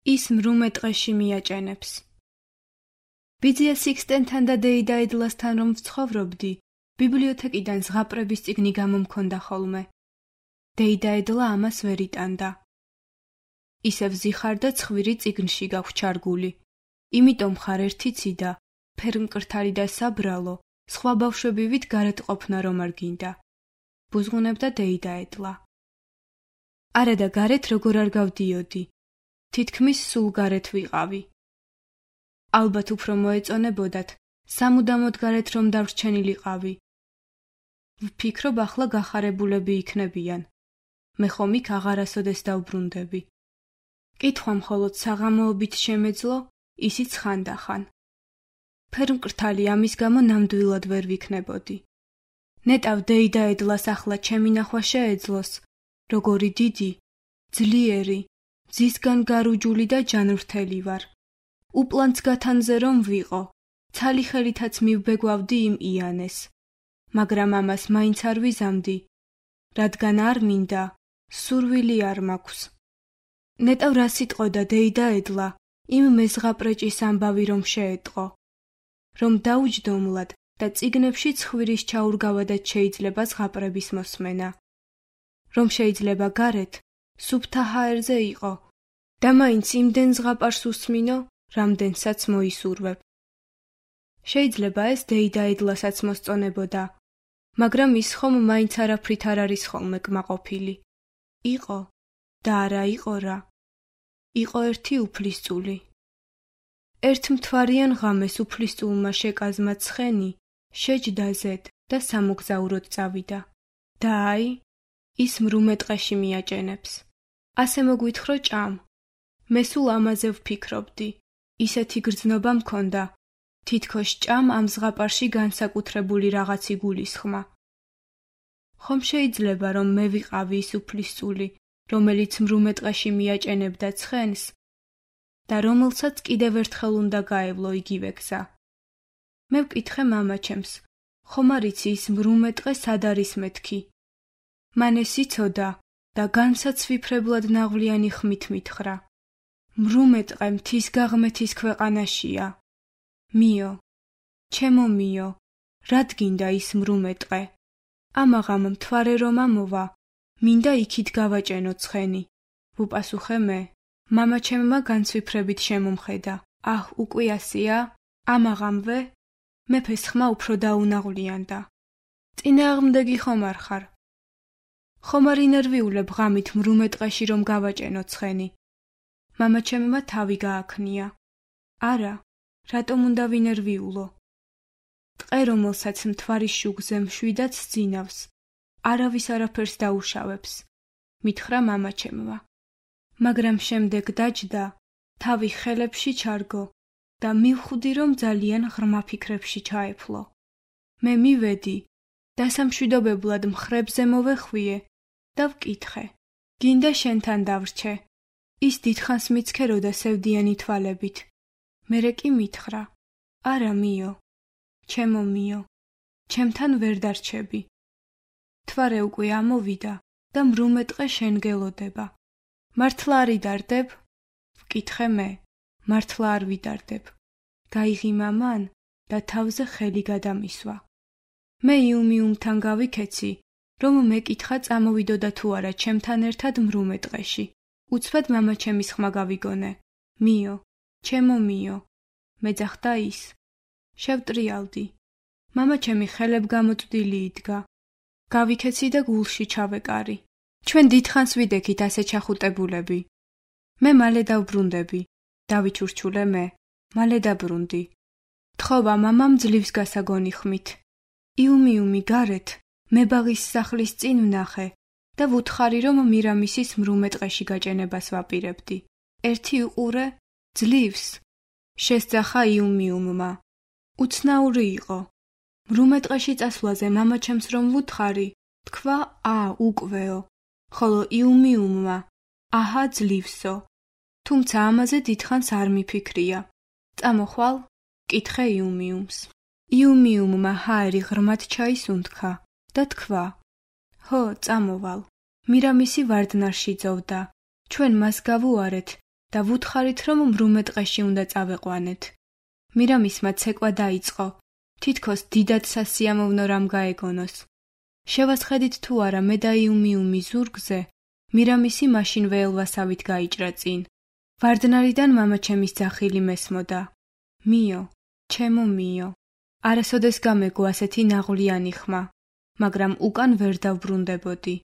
ის მრუმე ტყეში მიაჭენებს. ბიძია სიქსტენთან და დეიდაედლასთან რომ ვცხოვრობდი, ბიბლიოთეკიდან ზღაპრების წიგნი გამომქონდა ხოლმე. დეიდაედლა ამას ვერ იტანდა. ისევ ზიხარ და ცხვირი წიგნში გაგვჩარგული. იმიტომ ხარ ერთი ციდა, ფერმკრთალი და საბრალო, სხვა ბავშვებივით გარეთ ყოფნა რომ არ გინდა. ბუზღუნებდა დეიდაედლა. არა და გარეთ როგორ არ გავდიოდი. თითქმის სულ გარეთ ვიყავი. ალბათ უფრო მოეწონებოდათ, სამუდამოდ გარეთ რომ დარჩენილიყავი. ვფიქრობ ახლა გახარებულები იქნებიან. მე ხომ იქ აღარასოდეს დავბრუნდები. კითხვა მხოლოდ საღამოობით შემეძლო, ისიც ხანდახან. ფერმკრთალი ამის გამო ნამდვილად ვერ ვიქნებოდი. ნეტავ დეიდაედლას ახლა ჩემი ნახვა შეეძლოს, როგორი დიდი, ძლიერი, ძისგან გარუჯული და ჯანმრთელი ვარ. უპლანც გათანზე რომ ვიყო, ცალი ხელითაც მივბეგვავდი იმ იანეს. მაგრამ ამას მაინც არ ვიზამდი, რადგან არ მინდა, სურვილი არ მაქვს. ნეტავ რა სიტყოდა დეიდაედლა, იმ მეზღაპრეჭის ამბავი რომ შეეტყო. რომ დაუჯდომლად და წიგნებში ცხვირის ჩაურგავადაც შეიძლება ზღაპრების მოსმენა. რომ შეიძლება გარეთ, სუფთა ჰაერზე იყო და მაინც იმდენ ზღაპარს უსმინო, რამდენსაც მოისურვებ. შეიძლება ეს დეიდაედლასაც მოსწონებოდა, მაგრამ ის ხომ მაინც არაფრით არ არის ხოლმე კმაყოფილი. იყო და არა იყო რა. იყო ერთი უფლისწული. ერთ მთვარიან ღამეს უფლისწულმა შეკაზმა ცხენი, შეჯდა ზედ და სამოგზაუროდ წავიდა. და აი, ის მრუმე ტყეში მიაჭენებს. ასე მოგვითხრო ჭამ. მე სულ ამაზე ვფიქრობდი. ისეთი გრძნობა მქონდა, თითქოს ჭამ ამ ზღაპარში განსაკუთრებული რაღაც იგულისხმა. ხომ შეიძლება რომ მე ვიყავი ის უფლისწული, რომელიც მრუმე ტყეში მიაჭენებდა ცხენს და რომელსაც კიდევ ერთხელ უნდა გაევლო იგივე გზა. მე ვკითხე მამაჩემს, ხომ არ იცი ის მრუმე ტყე სად არის მეთქი? მან ეს იცოდა და განსაცვიფრებლად ნაღვლიანი ხმით მითხრა. მრუმე ტყე მთის გაღმეთის ქვეყანაშია. მიო, ჩემო მიო, რად გინდა ის მრუმე ტყე? ამაღამ მთვარე რომ ამოვა, მინდა იქით გავაჭენო ცხენი. ვუპასუხე მე. მამაჩემმა განცვიფრებით შემომხედა. აჰ, უკვე ასია? ამაღამვე? მეფეს ხმა უფრო დაუნაღვლიანდა. წინააღმდეგი ხომ არ ხარ? ხომ არ ინერვიულებ ღამით მრუმე ტყეში რომ გავაჭენო ცხენი? მამაჩემმა თავი გააქნია. არა, რატომ უნდა ვინერვიულო? ტყე რომელსაც მთვარის შუგზე მშვიდად სძინავს, არავის არაფერს დაუშავებს, მითხრა მამაჩემმა. მაგრამ შემდეგ დაჯდა, თავი ხელებში ჩარგო და მივხვდი რომ ძალიან ღრმა ფიქრებში ჩაეფლო. მე მივედი და სამშვიდობებლად მხრებზე მოვეხვიე და ვკითხე. გინდა შენთან დავრჩე? ის დიდხანს მიცქეროდა სევდიანი თვალებით. მერე კი მითხრა. არა მიო, ჩემო მიო, ჩემთან ვერ დარჩები. თვარე უკვე ამოვიდა და მრუმე ტყე შენ გელოდება. მართლა არ იდარდებ? ვკითხე მე. მართლა არ ვიდარდებ. გაიღიმა მან და თავზე ხელი გადამისვა. მე იუმიუმთან გავიქეცი, რომ მეკითხა წამოვიდოდა თუ არა ჩემთან ერთად მრუმე ტყეში. უცბად მამაჩემის ხმა გავიგონე. მიო, ჩემო მიო, მეძახდა ის. შევტრიალდი. მამაჩემი ხელებ გამოწვდილი იდგა. გავიქეცი და გულში ჩავეკარი. ჩვენ დიდხანს ვიდექით ასე ჩახუტებულები. მე მალე დავბრუნდები. დავიჩურჩულე მე. მალე დაბრუნდი. თხოვა მამამ ძლივს გასაგონი ხმით. იუმიუმი გარეთ, მებაღის სახლის წინ ვნახე და ვუთხარი რომ მირამისის მრუმე ტყეში გაჭენებას ვაპირებდი. ერთი უყურე, ძლივს. შესძახა იუმიუმმა. უცნაური იყო. მრუმე ტყეში წასვლაზე მამაჩემს რომ ვუთხარი, თქვა უკვეო, ხოლო იუმიუმმა აჰა ძლივსო. თუმცა ამაზე დიდხანს არ მიფიქრია. წამოხვალ? კითხე იუმიუმს. იუმიუმმა ჰაერი ღრმად ჩაის უნთქა და თქვა. ჰო, წამოვალ. მირამისი ვარდნარში ძოვდა. ჩვენ მას გავუარეთ და ვუთხარით, რომ მრუმე ტყეში უნდა წავეყვანეთ. მირამისმა ცეკვა დაიწყო, თითქოს დიდად სასიამოვნო რამ გაეგონოს. შევასხედით თუ არა მე და იუმიუმი ზურგზე, მირამისი მაშინ ველვასავით გაიჭრა წინ. ვარდნარიდან მამაჩემის ძახილი მესმოდა. მიო, ჩემო მიო, არასოდეს გამეგო ასეთი ნაღვლიანი ხმა, მაგრამ უკან ვერ დავბრუნდებოდი.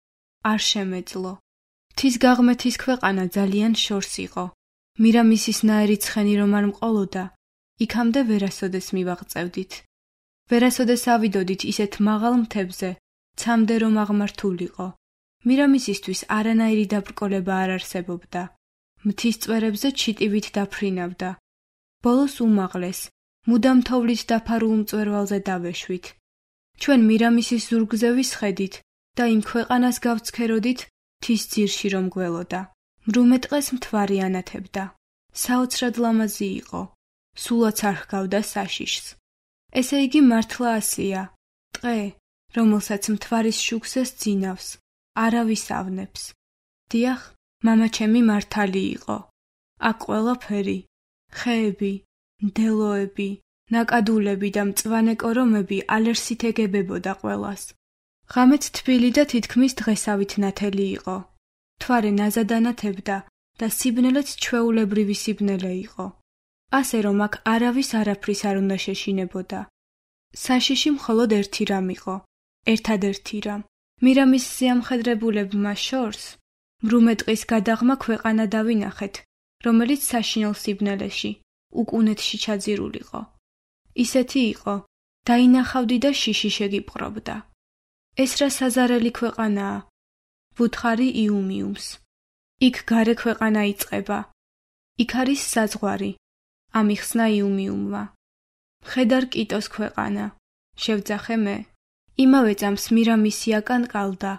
არ შემეძლო. მთის გაღმეთის ქვეყანა ძალიან შორს იყო. მირამისის ნაერი ცხენი რომ არ მყოლოდა, იქამდე ვერასოდეს მივაღწევდით. ვერასოდეს ავიდოდით ისეთ მაღალ მთებზე, ცამდე რომ აღმართულიყო. მირამისისთვის არანაირი დაბრკოლება არ არსებობდა. მთის წვერებზე ჩიტივით დაფრინავდა. ბოლოს უმაღლეს, მუდამ თოვლით დაფარულ მწვერვალზე დავეშვით. ჩვენ მირამისის ზურგზე ვისხედით და იმ ქვეყანას გავცქეროდით მთის ძირში რომ გველოდა. მრუმე ტყეს მთვარი ანათებდა. საოცრად ლამაზი იყო. სულაც არ ჰგავდა საშიშს. ესე იგი მართლა ასია. ტყე, რომელსაც მთვარის შუქზე სძინავს, არავის ავნებს. დიახ, მამაჩემი მართალი იყო. აქ ყველაფერი, ხეები, მდელოები, ნაკადულები და მწვანე კორომები ალერსით ეგებებოდა ყველას. ღამეთ თბილი და თითქმის დღესავით ნათელი იყო. მთვარე ნაზად ანათებდა და სიბნელეც ჩვეულებრივი სიბნელე იყო. ასე რომ აქ არავის არაფრის არ უნდა შეშინებოდა. საშიში მხოლოდ ერთი რამ იყო, ერთადერთი რამ. მირამის ზიამხედრებულებმა შორს მრუმე ტყის გადაღმა ქვეყანა დავინახეთ, რომელიც საშინელ სიბნელეში, უკუნეთში ჩაძირულიყო. ისეთი იყო, დაინახავდი და შიში შეგიპყრობდა. ეს რა საზარელი ქვეყანაა? ვუთხარი იუმიუმს. იქ გარე ქვეყანა იწყება. იქ არის საზღვარი. ამიხსნა იუმიუმმა. მხედარ კიტოს ქვეყანა. შევძახე მე. იმავე წამს მირამისი აკანკალდა.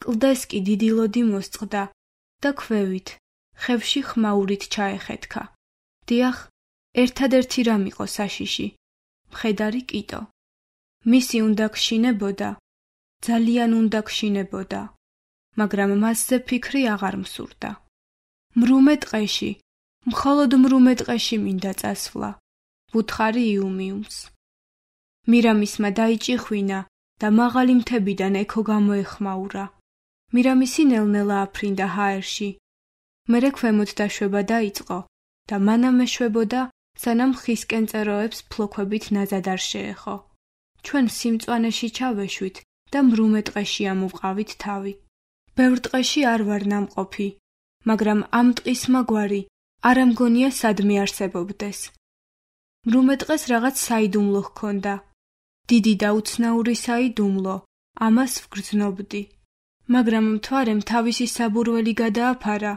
კლდეს კი დიდი ლოდი მოსწყდა და ქვევით, ხევში ხმაურით ჩაეხეთქა. დიახ, ერთადერთი რამ იყო საშიში. მხედარი კიტო. მისი უნდა გშინებოდა. ძალიან უნდა გშინებოდა. მაგრამ მასზე ფიქრი აღარ მსურდა. მრუმე ტყეში, მხოლოდ მრუმე ტყეში მინდა წასვლა. ვუთხარი იუმიუმს. მირამისმა დაიჭიხვინა და მაღალი მთებიდან ექო გამოეხმაურა. მირამისი ნელ-ნელა აფრინდა ჰაერში. მერე ქვემოთ დაშვება დაიწყო და მანამ ეშვებოდა, სანამ ხისკენ წეროებს ფლოქვებით ნაზად არ შეეხო. ჩვენ სიმწვანეში ჩავეშვით და მრუმე ტყეში ამოვყავით თავი. ბევრ ტყეში არ ვარ ნამყოფი, მაგრამ ამ ტყის მაგვარი არ ამგონია სადმე არსებობდეს. მრუმე ტყეს რაღაც საიდუმლო ჰქონდა. დიდი და უცნაური საიდუმლო, ამას ვგრძნობდი. მაგრამ მთვარემ თავისი საბურველი გადააფარა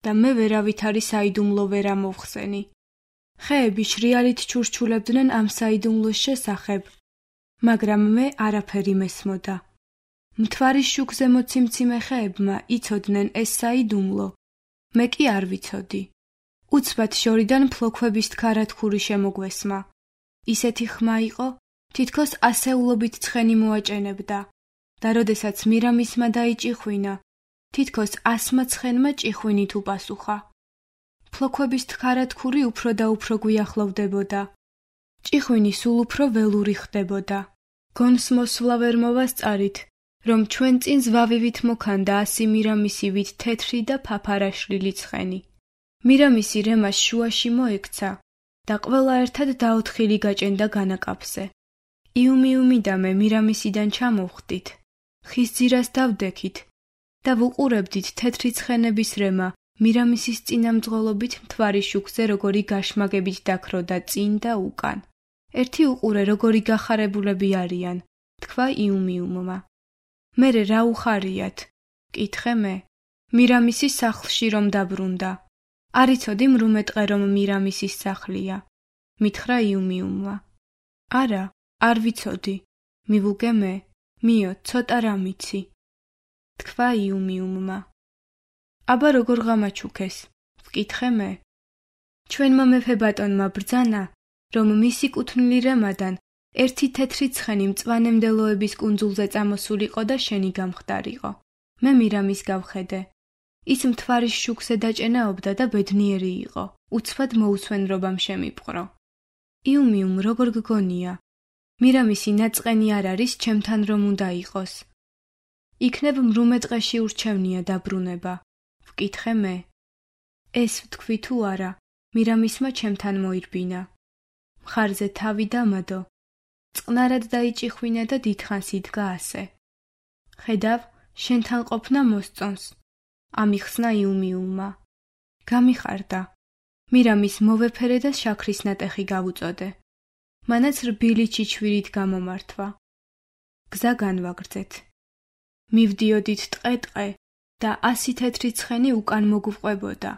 და მე ვერავითარი საიდუმლო ვერ ამოვხსენი. ხეები შრიალით ჩურჩულებდნენ ამ საიდუმლოს შესახებ, მაგრამ მე არაფერი მესმოდა. მთვარის შუქზე მოციმციმე ხეებმა იცოდნენ ეს საიდუმლო, მე კი არ ვიცოდი. უცბად შორიდან ფლოქვების თქარათქური შემოგვესმა. ისეთი ხმა იყო, თითქოს ასეულობით ცხენი მოაჭენებდა და როდესაც მირამისმა დაიჭიხვინა, თითქოს 100 ცხენმა ჭიხვინით უპასუხა. ფლოქვების თქარათქური უფრო და უფრო გვიახლოვდებოდა. ჭიხვინი სულ უფრო ველური ხდებოდა. გონს მოსვლა ვერ მოვასწარით, რომ ჩვენ წინ ზვავივით მოქანდა 100 მირამისივით თეთრი და ფაფარაშლილი ცხენი. მირამისი რემას შუაში მოექცა და ყველა ერთად დაოთხილი გაჭენდა განაკაფზე. იუმიუმი და მე მირამისიდან ჩამოვხდით, ხის ძირას დავდექით და ვუყურებდით თეთრი ცხენების რემა მირამისის წინამძღოლობით მთვარის შუქზე როგორი გაშმაგებით დაქროდა წინ და უკან. ერთი უყურე როგორი გახარებულები არიან, თქვა იუმიუმმა. მერე რა უხარიათ? კითხე მე. მირამისის სახლში რომ დაბრუნდა. არიცოდი მრუმე ტყე რომ მირამისის სახლია. მითხრა იუმიუმმა. არა, არ ვიცოდი. მივუგე მე. მიო, ცოტა რა მიცი. თქვა იუმიუმმა. აბა როგორ გამაჩუქეს? ვკითხე მე. ჩვენმა მეფე ბატონმა ბრძანა, რომ მისი კუთვნილი რემადან ერთი თეთრი ცხენი მწვანე მდელოების კუნძულზე წამოსულიყო და შენი გამხდარიყო. მე მირამის გავხედე. ის მთვარის შუქზე დაჭენაობდა და ბედნიერი იყო, უცბად მოუსვენრობამ შემიპყრო. იუმიუმ, როგორ გგონია? მირამისი ნაწყენი არ არის, ჩემთან რომ უნდა იყოს. იქნებ მრუმე დღეში ურჩევნია დაბრუნება. ვკითხე მე. ეს ვთქვი თუ არა, მირამისმა ჩემთან მოირბინა. მხარზე თავი დამადო. წყნარად დაიჭიხვინა და დიდხანს იდგა ასე. ხედავ, შენთან ყოფნა მოსწონს. ამიხსნა იუმიუმმა. გამიხარდა. მირამის მოვეფერე და შაქრის ნატეხი გავუწოდე. მანაც რბილი ჩიჩვირით გამომართვა. გზა განვაგრძეთ. მივდიოდით ტყე-ტყე და 100 თეთრი ცხენი უკან მოგვყვებოდა.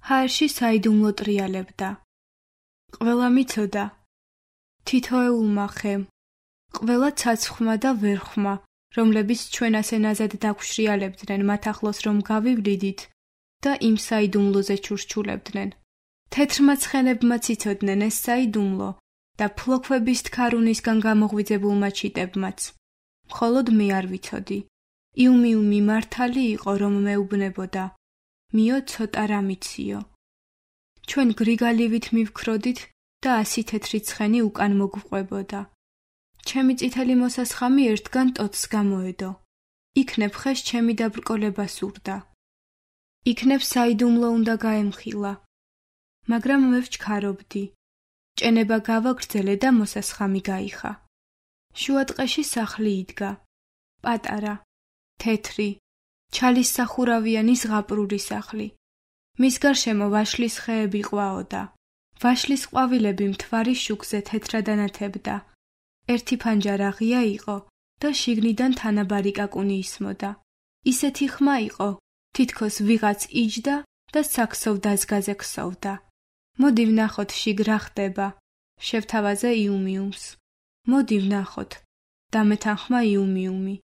ჰაერში საიდუმლო ტრიალებდა. ყველა მიცოდა. თითოეულმა ხემ, ყველა ცაცხვმა და ვერხვმა, რომლებიც ჩვენ ასე ნაზად დაგვშრიალებდნენ მათ ახლოს რომ გავივლიდით და იმ საიდუმლოზე ჩურჩულებდნენ. თეთრმა ცხენებმაც იცოდნენ ეს საიდუმლო და ფლოქვების თქარუნისგან გამოღვიძებულმა ჩიტებმაც. მხოლოდ მე არ ვიცოდი. იუმიუმი მართალი იყო რომ მეუბნებოდა. მიო ცოტა რა მიციო. ჩვენ გრიგალივით მივქროდით და 100 თეთრი ცხენი უკან მოგვყვებოდა. ჩემი წითელი მოსასხამი ერთგან ტოტს გამოედო. იქნებ ხეს ჩემი დაბრკოლება სურდა. იქნებ საიდუმლო უნდა გაემხილა. მაგრამ მე ვჩქარობდი. ჭენება გავაგრძელე და მოსასხამი გაიხა. შუატყეში სახლი იდგა. პატარა, თეთრი, ჩალის სახურავიანი ზღაპრული სახლი. მის გარშემო ვაშლის ხეები ყვაოდა. ვაშლის ყვავილები მთვარის შუქზე თეთრად ანათებდა. ერთი ფანჯარა ღია იყო და შიგნიდან თანაბარი კაკუნი ისმოდა. ისეთი ხმა იყო, თითქოს ვიღაც იჯდა და საქსოვ დაზგაზე ქსოვდა. მოდი ვნახოთ შიგ რა ხდება. შევთავაზე იუმიუმს. მოდი ვნახოთ. დამეთანხმა იუმიუმი.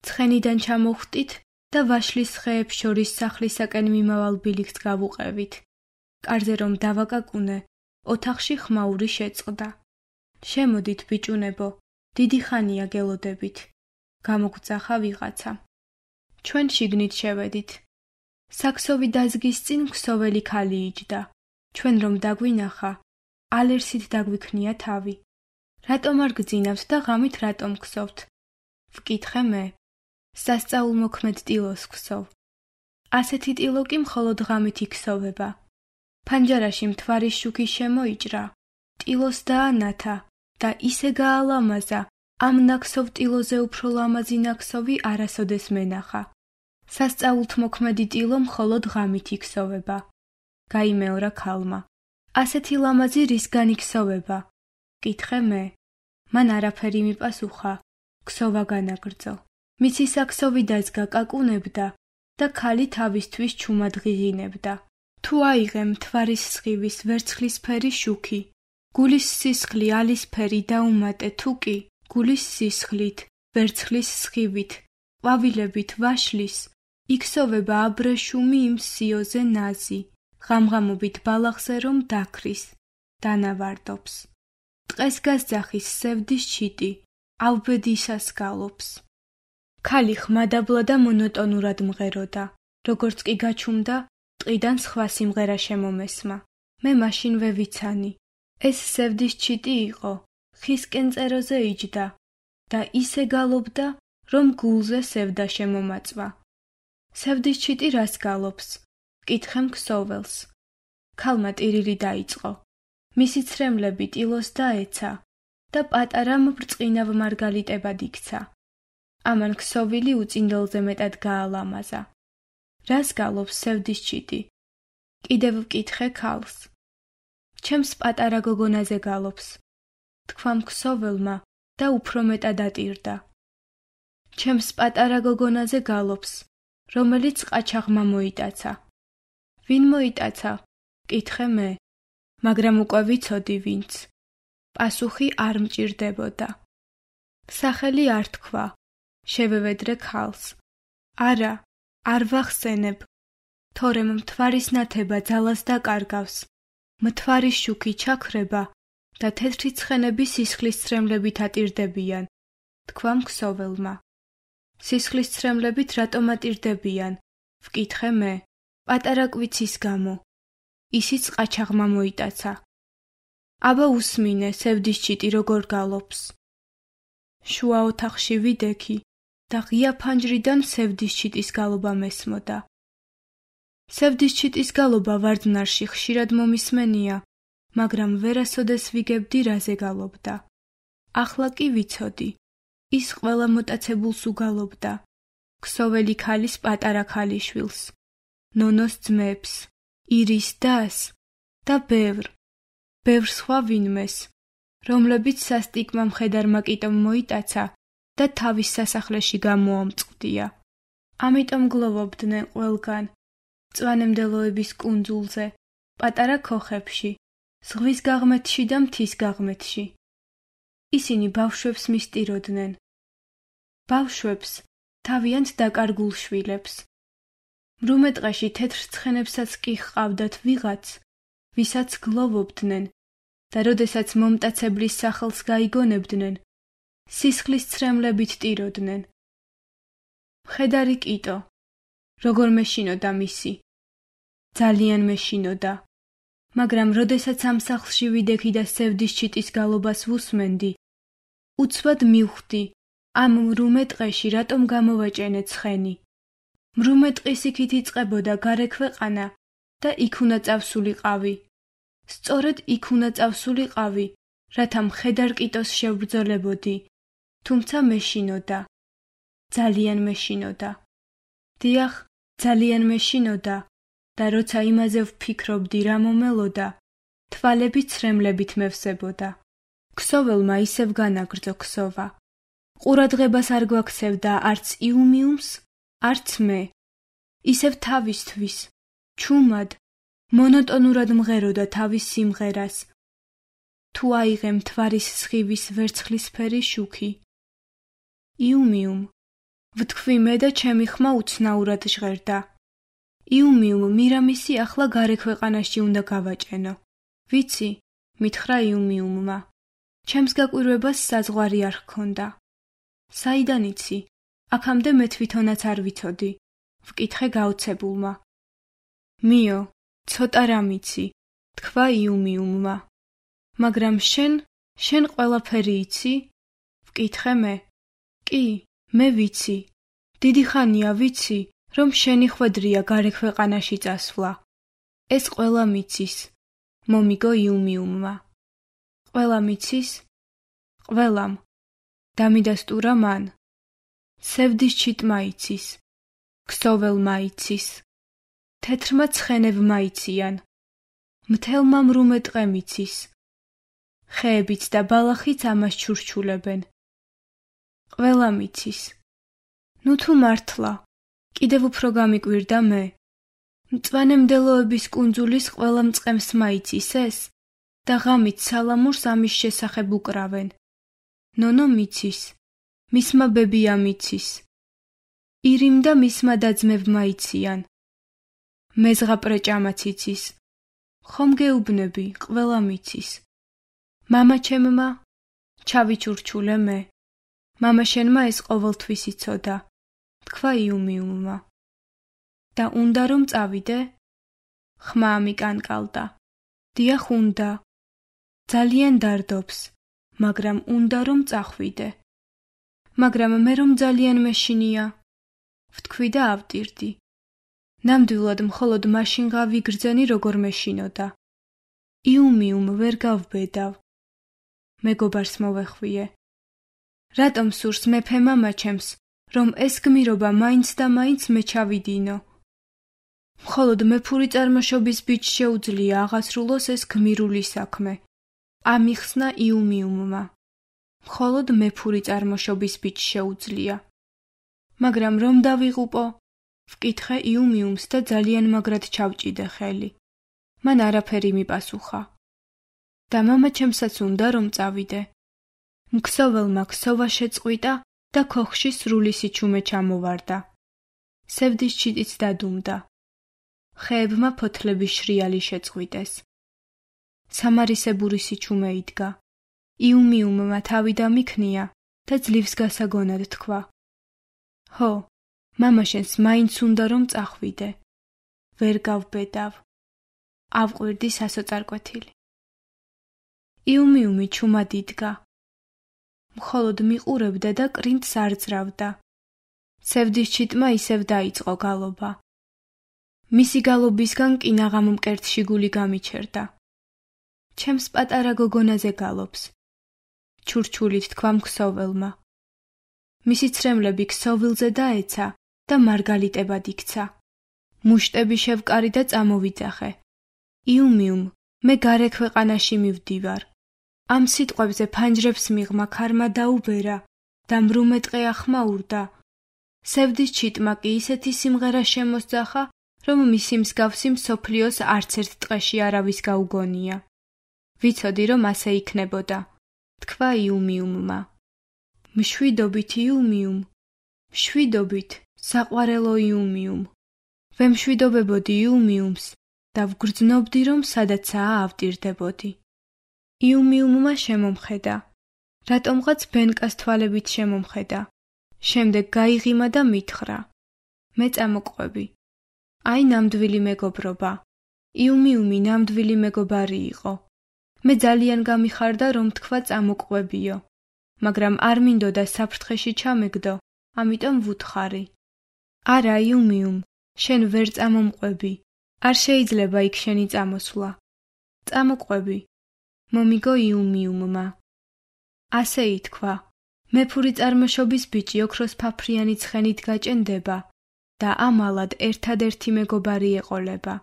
ცხენიდან ჩამოვხტით და ვაშლის ხეებს შორის სახლისაკენ მიმავალ ბილიქს გავუყევით. კარზე რომ დავაკაკუნე, ოთახში ხმაური შეწყდა. შემოდით ბიჭუნებო, დიდი ხანია გელოდებით. გამოგვძახა ვიღაცა. ჩვენ შიგნით შევედით. საქსოვი დაზგის წინ ქსოველი ქალი იჯდა. ჩვენ რომ დაგვინახა, ალერსით დაგვიქნია თავი. რატომ არ გძინავთ და ღამით რატომ ქსოვთ? ვკითხე მე. სასწაულმოქმედ ტილოს ქსოვ. ასეთი ტილო კი მხოლოდ ღამით იქსოვება. ფანჯარაში მთვარის შუქი შემოიჭრა, ტილოს დაანათა და ისე გაალამაზა, ამ ნაქსოვ ტილოზე უფრო ლამაზი ნაქსოვი არასოდეს მენახა. სასწაულთმოქმედი ტილო მხოლოდ ღამით იქსოვება. გაიმეორა ქალმა. ასეთი ლამაზი რისგან იქსოვება? ვკითხე მე. მან არაფერი მიპასუხა, ქსოვა განაგრძო. მისი საქსოვი დაზგა კაკუნებდა და ქალი თავისთვის ჩუმად ღიღინებდა. თუ აიღე მთვარის სხივის ვერცხლისფერი შუქი, გულის სისხლი ალისფერი დაუმატე თუ კი, გულის სისხლით, ვერცხლის სხივით, ყვავილებით ვაშლის, იქსოვება აბრეშუმი იმ სიოზე ნაზი, ღამღამობით ბალახზე რომ დაქრის, დანავარდობს. ტყეს გასძახის სევდის ჩიტი, ავბედისას გალობს. ქალი ხმადაბლა და მონოტონურად მღეროდა, როგორც კი გაჩუმდა, ტყიდან სხვა სიმღერა შემომესმა. მე მაშინვე ვიცანი. ეს სევდის ჩიტი იყო, ხის კენწეროზე იჯდა და ისე გალობდა, რომ გულზე სევდა შემომაწვა. სევდის ჩიტი რას გალობს? ვკითხე ქსოველს. ქალმა ტირილი დაიწყო. მისი ცრემლები ტილოს დაეცა და პატარა მბრწყინავ მარგალიტებად იქცა. ამან ქსოვილი უწინდელზე მეტად გაალამაზა. რას გალობს სევდის ჩიტი? კიდევ ვკითხე ქალს. ჩემს პატარა გოგონაზე გალობს. თქვა ქსოველმა და უფრო მეტად ატირდა. ჩემს პატარა გოგონაზე გალობს, რომელიც ყაჩაღმა მოიტაცა. ვინ მოიტაცა? ვკითხე მე, მაგრამ უკვე ვიცოდი ვინც. პასუხი არ მჭირდებოდა. სახელი არ თქვა. შევევედრე ქალს. არა, არ ვახსენებ. თორემ მთვარის ნათება ძალას დაკარგავს. მთვარის შუქი ჩაქრება და თეთრი ცხენები სისხლის ცრემლებით ატირდებიან. თქვა ქსოველმა. სისხლის ცრემლებით რატომ ატირდებიან? ვკითხე მე, პატარა კვიცის გამო. ისიც ყაჩაღმა მოიტაცა. აბა უსმინე, სევდის ჩიტი როგორ გალობს. შუა ოთახში ვიდექი და ღია ფანჯრიდან სევდის ჩიტის გალობა მესმოდა. სევდის ჩიტის გალობა ვარდნარში ხშირად მომისმენია, მაგრამ ვერასოდეს ვიგებდი რაზე გალობდა. ახლა კი ვიცოდი, ის ყველა მოტაცებულს უგალობდა. ქსოველი ქალის პატარა ქალიშვილს, ნონოს ძმებს, ირის დას და ბევრ სხვა ვინმეს, რომლებიც სასტიკმა მხედარმა კიტომ მოიტაცა და თავის სასახლეში გამოამწყდია. ამიტომ გლოვობდნენ ყველგან, მწვანემდელოების კუნძულზე, პატარა ქოხებში, ზღვის გაღმეთში და მთის გაღმეთში. ისინი ბავშვებს მისტიროდნენ. ბავშვებს, თავიანთ დაკარგულ შვილებს. მრუმე ტყეში თეთრ ცხენებსაც კი ჰყავდათ ვიღაც, ვისაც გლოვობდნენ და როდესაც მომტაცებლის სახელს გაიგონებდნენ, სისხლის ცრემლებით ტიროდნენ. მხედარი კიტო, როგორ მეშინოდა მისი. ძალიან მეშინოდა, მაგრამ როდესაც ამ სახლში ვიდექი და სევდის ჩიტის გალობას ვუსმენდი, უცბად მივხვდი, ამ მრუმე ტყეში რატომ გამოვაჭენე ცხენი. მრუმე ტყის იქით იწყებოდა გარე ქვეყანა და იქ უნდა წავსულიყავი. სწორედ იქ უნდა წავსულიყავი, რათა მხედარ კიტოს შევბრძოლებოდი, თუმცა მეშინოდა. ძალიან მეშინოდა. დიახ, ძალიან მეშინოდა და როცა იმაზე ვფიქრობდი რა მომელოდა, თვალები ცრემლებით მევსებოდა. ქსოველმა ისევ განაგრძო ქსოვა. ყურადღებას არ გვაქცევდა არც იუმიუმს, არც მე. ისევ თავისთვის, ჩუმად, მონოტონურად მღეროდა თავის სიმღერას. თუ აიღე მთვარის სხივის ვერცხლისფერი შუქი. იუმიუმ, ვთქვი მე და ჩემი ხმა უცნაურად ჟღერდა. იუმიუმ, მირამისი ახლა გარე ქვეყანაში უნდა გავაჭენო. ვიცი, მითხრა იუმიუმმა. ჩემს გაკვირვებას საზღვარი არ ჰქონდა. საიდან იცი? აქამდე მე თვითონაც არ ვიცოდი. ვკითხე გაოცებულმა. მიო, ცოტა რამ იცი, თქვა იუმიუმმა. მაგრამ შენ ყველაფერი იცი? ვკითხე მე. კი, მე ვიცი. დიდი ხანია ვიცი, რომ შენი ხვედრია გარე ქვეყანაში წასვლა. ეს ყველა მიცის, მომიგო იუმიუმმა. ყველა მიცის? ყველამ. დამიდასტურა მან. სევდის ჩიტმა იცის. ქსოველმა იცის. თეთრმა ცხენებმა იციან. მთელმა მრუმე ტყემ იცის. ხეებიც და ბალახიც ამას ჩურჩულებენ. ყველა მიცის. ნუ თუ მართლა, კიდევ უფრო გამიკვირდა მე. მწვანემდელოების კუნძულის ყველა მწყემს მაიცის ეს და ღამით სალამურს ამის შესახებ უკრავენ. ნონო მიცის, მისმა ბებია მიცის. ირიმ და მისმა დაძმებმა იციან. მეზღაპრეჭამაც იცის. ხომ გეუბნები, ყველა მიცის. მამა ჩემმა, ჩავიჩურჩულე მე. მამა შენმა ეს ყოველთვის იცოდა, თქვა იუმიუმმა. და უნდა რომ წავიდე? ხმა ამიკანკალდა. დიახ უნდა. ძალიან დარდობს, მაგრამ უნდა რომ წახვიდე. მაგრამ მე რომ ძალიან მეშინია. ვთქვი და ავტირდი. ნამდვილად მხოლოდ მაშინ გავიგრძენი როგორ მეშინოდა. იუმიუმ ვერ გავბედავ. მეგობარს მოვეხვიე. რატომ სურს მეფე მამა ჩემს, რომ ეს გმირობა მაინც და მაინც მე ჩავიდინო? მხოლოდ მეფური წარმოშობის ბიჭს შეუძლია აღასრულოს ეს გმირული საქმე. ამიხსნა იუმიუმმა. მხოლოდ მეფური წარმოშობის ბიჭს შეუძლია. მაგრამ რომ დავიღუპო? ვკითხე იუმიუმს და ძალიან მაგრად ჩავჭიდე ხელი. მან არაფერი მიპასუხა. და მამა ჩემსაც უნდა რომ წავიდე. მქსოველმა ქსოვა შეწყვიტა და ქოხში სრული სიჩუმე ჩამოვარდა. სევდის ჩიტიც დადუმდა. ხეებმა ფოთლების შრიალი შეწყვიტეს. სამარისებური სიჩუმე იდგა. იუმიუმმა თავი დამიქნია და ძლივს გასაგონად თქვა. ჰო, მამაშენს მაინც უნდა რომ წახვიდე. ვერ გავბედავ. ავყვირდი სასოწარკვეთილი. იუმიუმი ჩუმად იდგა. მხოლოდ მიყურებდა და კრინტს არ ძრავდა. ცევდის ჩიტმა ისევ დაიწყო გალობა. მისი გალობისგან კინაღამ მკერდში გული გამიჩერდა. ჩემს პატარა გოგონაზე გალობს. ჩურჩულით თქვა მქსოველმა. მისი ცრემლები ქსოვილზე დაეცა და მარგალიტებად იქცა. მუშტები შევკარი და წამოვიძახე. იუმიუმ, მე გარე ქვეყანაში მივდივარ. ამ სიტყვებზე ფანჯრებს მიღმა ქარმა დაუბერა და მრუმეტყე ახმაურდა. სევდის ჩიტმა კი ისეთი სიმღერა შემოსძახა, რომ მისი მსგავსი მსოფლიოს არც ერთ ტყეში არავის გაუგონია. ვიცოდი, რომ ასე იქნებოდა, თქვა იუმიუმმა. მშვიდობით იუმიუმ, მშვიდობით, საყვარელო იუმიუმ. ვემშვიდობებოდი იუმიუმს და ვგრძნობდი, რომ სადაცაა ავტირდებოდი. იუმიუმმა შემომხედა. რატომღაც ბენკას თვალებით შემომხედა. შემდეგ გაიღიმა და მითხრა. მე წამოყვები. აი ნამდვილი მეგობრობა. იუმიუმი ნამდვილი მეგობარი იყო. მე ძალიან გამიხარდა, რომ თქვა წამოყვებიო. მაგრამ არ მინდოდა საფრთხეში ჩამეგდო, ამიტომ ვუთხარი. არა იუმიუმ, შენ ვერ წამომყვები. არ შეიძლება იქ შენი წამოსვლა. წამოყვები. მომიგო იუმიუმმა. ასე ითქვა. მეფური წარმოშობის ბიჭი ოქროს ფაფრიანი ცხენით გაჭენდება და ამალად ერთადერთი მეგობარი ეყოლება.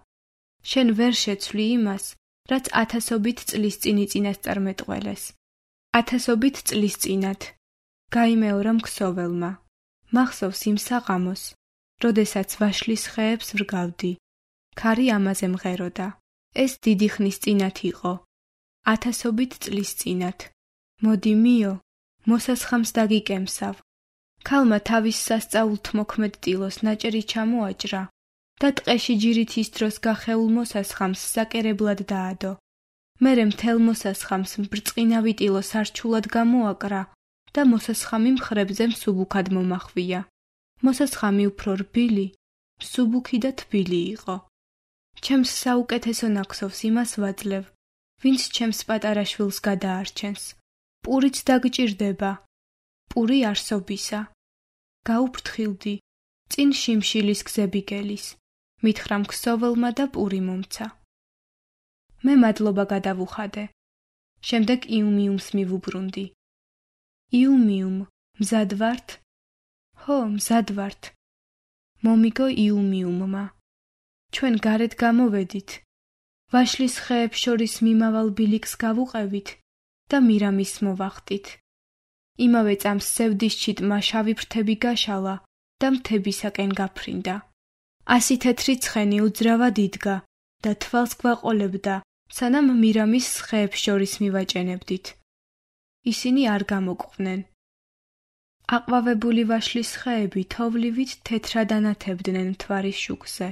შენ ვერ შეცვლი იმას, რაც ათასობით წლის წინ იწინასწარმეტყველეს. ათასობით წლის წინათ. გაიმეორა მქსოველმა. მახსოვს იმ საღამოს, როდესაც ვაშლის ხეებს ვრგავდი. ქარი ამაზე მღეროდა. ეს დიდი ხნის წინათ იყო. ათასობით წლის წინათ. მოდი მიო, მოსასხამს დაგიკემსავ. ქალმა თავის სასწაულთ მოქმედ ტილოს ნაჭერი ჩამოაჭრა და ტყეში ჯირით ის დროს გახეულ მოსასხამს საკერებლად დაადო. მერე მთელ მოსასხამს ბრწყინავი ტილო სარჩულად გამოაკრა და მოსასხამი მხრებზე მსუბუქად მომახვია. მოსასხამი უფრო რბილი, მსუბუქი და თბილი იყო. ჩემს საუკეთესო ნახსოვს იმას ვაძლევ, ვინც ჩემს პატარა შვილს გადაარჩენს. პურიც დაგჭირდება. პური არსობისა. გაუფრთხილდი. წინ შიმშილის გზები გელის. მითხრა მქსოველმა და პური მომცა. მე მადლობა გადავუხადე. შემდეგ იუმიუმს მივუბრუნდი. იუმიუმ, მზად ვართ? ჰო, მზად ვართ. მომიგო იუმიუმმა. ჩვენ გარეთ გამოვედით. ვაშლის ხეებს შორის მიმავალ ბილიკს გავუყევით და მირამის მოვახტით. იმავე წამს სევდის ჩიტმა შავი ფრთები გაშალა და მთებისაკენ გაფრინდა. 100 თეთრი ცხენი უძრავად იდგა და თვალს გვაყოლებდა, სანამ მირამის ხეებს შორის მივაჭენებდით. ისინი არ გამოკვდნენ. აყვავებული ვაშლის ხეები თოვლივით თეთრად ანათებდნენ მთვარის შუქზე.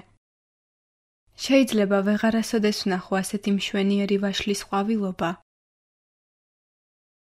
შეიძლება ვეღარასოდეს ვნახო ასეთი მშვენიერი ვაშლის ყვავილობა,